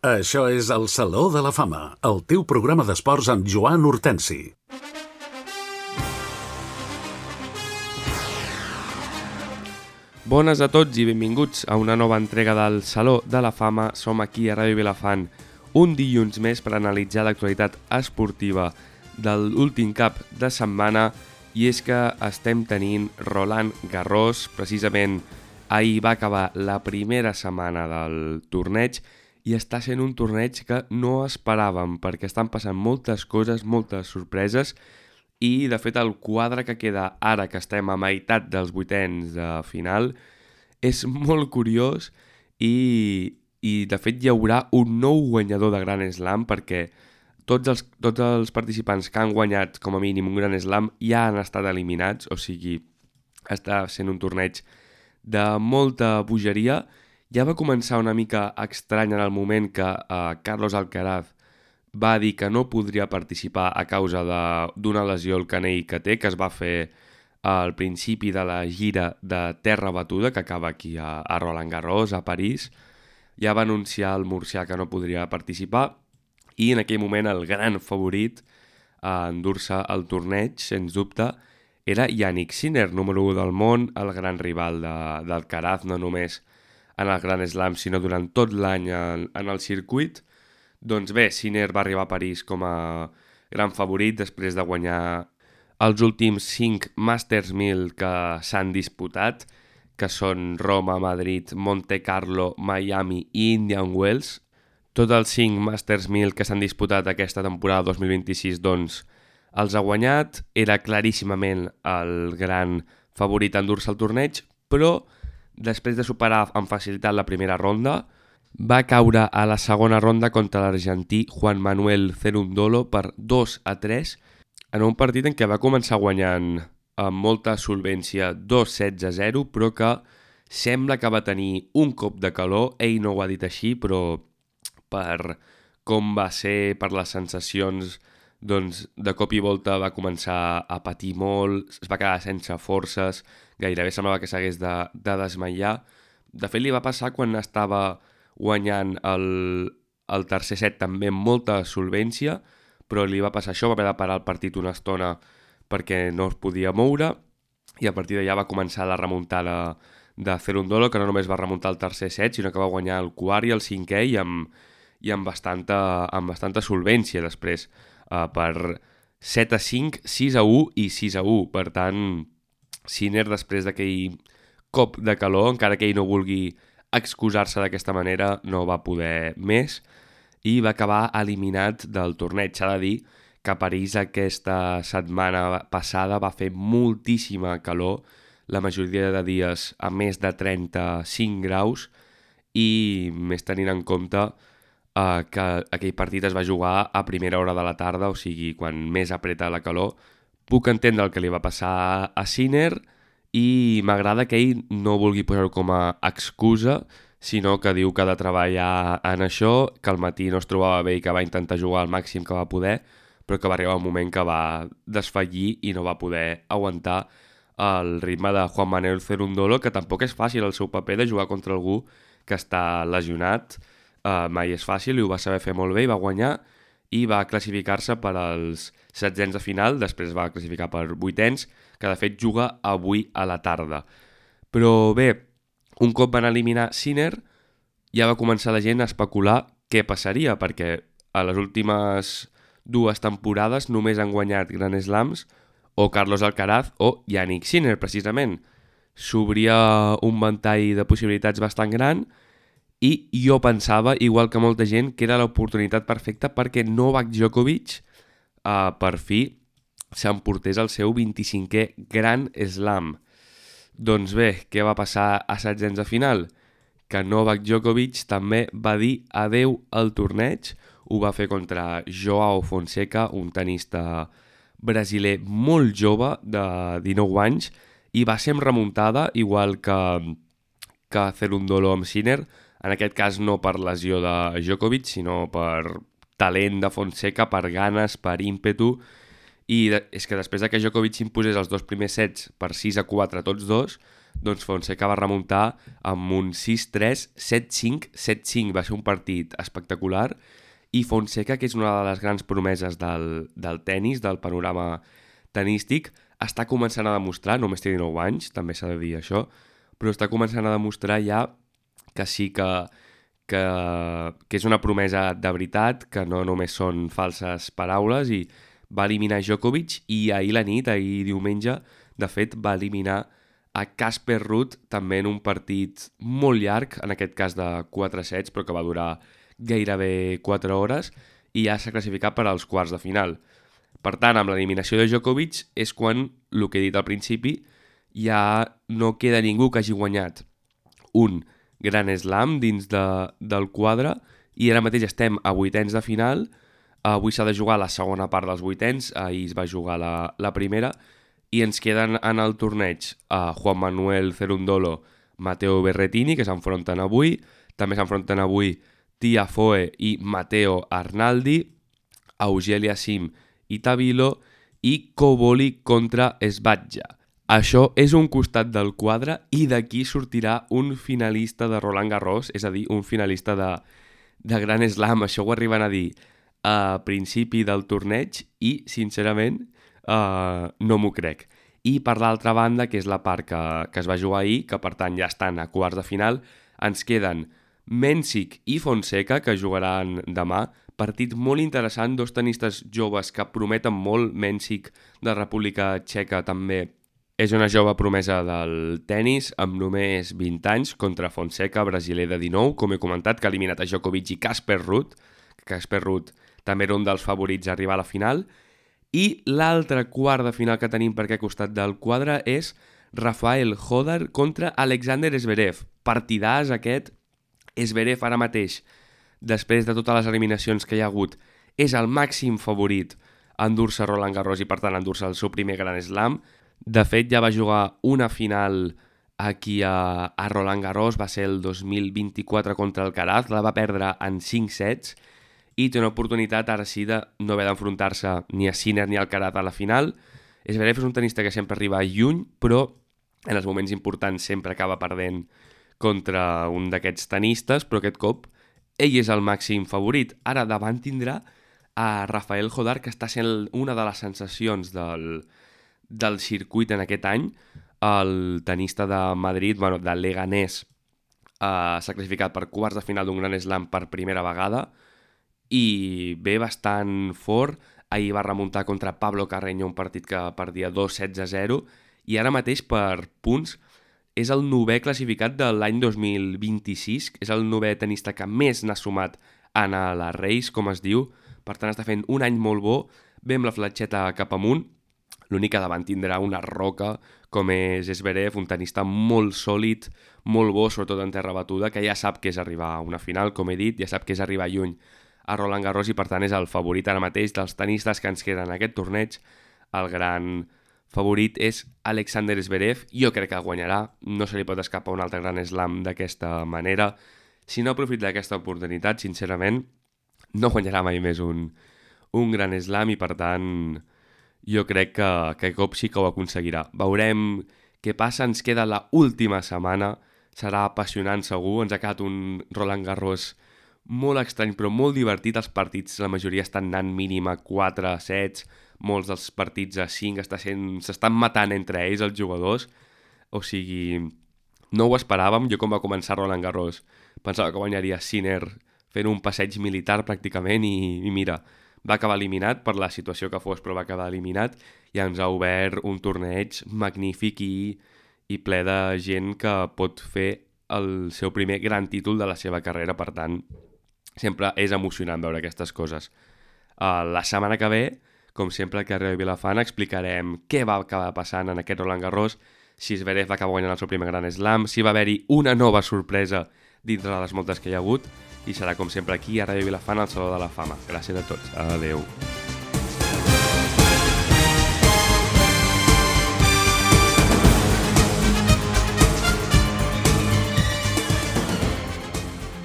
Això és el Saló de la Fama, el teu programa d'esports amb Joan Hortensi. Bones a tots i benvinguts a una nova entrega del Saló de la Fama. Som aquí a Ràdio Vilafant un dilluns més per analitzar l'actualitat esportiva de l'últim cap de setmana, i és que estem tenint Roland Garros. Precisament ahir va acabar la primera setmana del torneig i està sent un torneig que no esperàvem perquè estan passant moltes coses, moltes sorpreses, i de fet el quadre que queda ara que estem a meitat dels vuitens de final és molt curiós i de fet hi haurà un nou guanyador de Grand Slam, perquè tots els participants que han guanyat com a mínim un Grand Slam ja han estat eliminats, o sigui, està sent un torneig de molta bogeria. Ja va començar una mica estrany en el moment que Carlos Alcaraz va dir que no podria participar a causa d'una lesió al canell que té, que es va fer al principi de la gira de terra batuda que acaba aquí a Roland Garros, a París. Ja va anunciar el murcià que no podria participar i en aquell moment el gran favorit a endur-se el torneig, sens dubte, era Jannik Sinner, número 1 del món, el gran rival d'Alcaraz, no només en el Grand Slam, sinó durant tot l'any en el circuit. Doncs bé, Sinner va arribar a París com a gran favorit després de guanyar els últims 5 Masters 1000 que s'han disputat, que són Roma, Madrid, Monte Carlo, Miami i Indian Wells. Tots els 5 Masters 1000 que s'han disputat aquesta temporada 2026 doncs els ha guanyat. Era claríssimament el gran favorit a endur-se el torneig, però després de superar amb facilitat la primera ronda, va caure a la segona ronda contra l'argentí Juan Manuel Cerundolo per 2-3, en un partit en què va començar guanyant amb molta solvència 2-16-0, però que sembla que va tenir un cop de calor. Ell no ho ha dit així, però per com va ser, per les sensacions, doncs de cop i volta va començar a patir molt, es va quedar sense forces, gairebé semblava que s'hagués de desmaiar. De fet, li va passar quan estava guanyant el tercer set també amb molta solvència, però li va passar això, va haver de parar el partit una estona perquè no es podia moure, i a partir d'allà va començar la remuntada de Cerundolo, que no només va remuntar el tercer set, sinó que va guanyar el quart i el cinquè i amb bastanta solvència després, per 7-5, 6-1 i 6-1. Per tant, Sinner, després d'aquell cop de calor, encara que ell no vulgui excusar-se d'aquesta manera, no va poder més i va acabar eliminat del torneig. S'ha de dir que a París aquesta setmana passada va fer moltíssima calor, la majoria de dies a més de 35 graus, i més tenint en compte que aquell partit es va jugar a primera hora de la tarda, o sigui, quan més apreta la calor. Puc entendre el que li va passar a Sinner i m'agrada que ell no vulgui posar-ho com a excusa, sinó que diu que ha de treballar en això, que al matí no es trobava bé i que va intentar jugar al màxim que va poder, però que va arribar un moment que va desfallir i no va poder aguantar el ritme de Juan Manuel Cerundolo, que tampoc és fàcil el seu paper de jugar contra algú que està lesionat. Mai és fàcil, i ho va saber fer molt bé i va guanyar i va classificar-se per als setzents de final, després va classificar per vuitens, que de fet juga avui a la tarda. Però bé, un cop van eliminar Sinner, ja va començar la gent a especular què passaria, perquè a les últimes 2 temporades només han guanyat Grand Slams o Carlos Alcaraz o Jannik Sinner, precisament. S'obria un ventall de possibilitats bastant gran, i jo pensava, igual que molta gent, que era l'oportunitat perfecta perquè Novak Djokovic per fi s'emportés el seu 25è Grand Slam. Doncs bé, què va passar a setzents de final? Que Novak Djokovic també va dir adeu al torneig. Ho va fer contra Joao Fonseca, un tenista brasiler molt jove, de 19 anys, i va ser amb remuntada, igual que Cerundolo amb Sinner. En aquest cas no per lesió de Djokovic, sinó per talent de Fonseca, per ganes, per ímpetu. I és que després que Djokovic imposés els 2 primers sets per 6-4 tots dos, doncs Fonseca va remuntar amb un 6-3, 7-5, 7-5. Va ser un partit espectacular i Fonseca, que és una de les grans promeses del tennis, del panorama tenístic, està començant a demostrar, només té 19 anys, també s'ha de dir això, però està començant a demostrar ja que sí que és una promesa de veritat, que no només són falses paraules, i va eliminar Djokovic i ahir diumenge, de fet, va eliminar a Casper Ruud, també en un partit molt llarg, en aquest cas de 4 sets, però que va durar gairebé 4 hores, i ja s'ha classificat per als quarts de final. Per tant, amb l'eliminació de Djokovic és quan, el que he dit al principi, ja no queda ningú que hagi guanyat un Gran Slam dins del quadre, i ara mateix estem a vuitens de final. Avui s'ha de jugar la segona part dels vuitens, ahir es va jugar la primera, i ens queden en el torneig Juan Manuel Cerundolo, Matteo Berrettini, que s'enfronten avui. També s'enfronten avui Tiafoe i Matteo Arnaldi, Auger Sim i Tabilo, i Koboli contra Sbadja. Això és un costat del quadre, i d'aquí sortirà un finalista de Roland Garros, és a dir, un finalista de Gran Slam. Això ho arriben a dir a principi del torneig i, sincerament, no m'ho crec. I per l'altra banda, que és la part que es va jugar ahir, que per tant ja estan a quarts de final, ens queden Mensik i Fonseca, que jugaran demà. Partit molt interessant, dos tenistes joves que prometen molt. Mensik, de República Txeca, també és una jove promesa del tennis, amb només 20 anys, contra Fonseca, brasiler de 19, com he comentat, que ha eliminat a Djokovic i Casper Ruud. Casper Ruud també era un dels favorits a arribar a la final. I l'altre quart de final que tenim per aquest costat del quadre és Rafael Hodar contra Alexander Zverev. Partidàs aquest. Zverev ara mateix, després de totes les eliminacions que hi ha hagut, és el màxim favorit a endur-se Roland Garros i per tant a endur-se el seu primer Gran Slam. De fet, ja va jugar una final aquí a Roland Garros, va ser el 2024 contra Alcaraz, la va perdre en 5 sets, i té una oportunitat ara sí de no haver d'enfrontar-se ni a Sinner ni a Alcaraz a la final. Zverev és un tenista que sempre arriba lluny, però en els moments importants sempre acaba perdent contra un d'aquests tenistes, però aquest cop ell és el màxim favorit. Ara davant tindrà a Rafael Hodar, que està sent una de les sensacions del circuit en aquest any. El tenista de Madrid, de Leganés, s'ha classificat per quarts de final d'un Gran Slam per primera vegada i ve bastant fort. Ahir va remuntar contra Pablo Carreño, un partit que perdia 2-16-0, i ara mateix per punts és el 9è classificat de l'any 2026, és el 9è tenista que més n'ha sumat en la Race, com es diu. Per tant, està fent un any molt bo, ve amb la fletxeta cap amunt. L'únic que davant tindrà una roca, com és Zverev, un tenista molt sòlid, molt bo, sobretot en terra batuda, que ja sap que és arribar a una final, com he dit, ja sap que és arribar lluny a Roland Garros, i per tant és el favorit ara mateix dels tenistes que ens queden en aquest torneig. El gran favorit és Alexander Zverev. Jo crec que guanyarà, no se li pot escapar un altre Gran Slam d'aquesta manera. Si no aprofita d'aquesta oportunitat, sincerament, no guanyarà mai més un Gran Slam, i per tant jo crec que aquest cop sí que ho aconseguirà. Veurem què passa, ens queda la última setmana, serà apassionant segur. Ens ha quedat un Roland Garros molt estrany però molt divertit. Els partits, la majoria estan anant mínim a 4 sets, molts dels partits a 5, s'estan matant entre ells els jugadors, o sigui, no ho esperàvem. Jo, com va començar Roland Garros, pensava que guanyaria Sinner fent un passeig militar pràcticament, i mira, va acabar eliminat per la situació que fos, però va acabar eliminat, i ens ha obert un torneig magnífic i ple de gent que pot fer el seu primer gran títol de la seva carrera. Per tant, sempre és emocionant veure aquestes coses. La setmana que ve, com sempre, al carrer de Vilafant explicarem què va acabar passant en aquest Roland Garros, si Zverev va acabar guanyant el seu primer Gran Slam, si va haver-hi una nova sorpresa dintre de les moltes que hi ha hagut, i serà com sempre aquí a Ràdio Vilafant, al Saló de la Fama. Gràcies a tots. Adeu.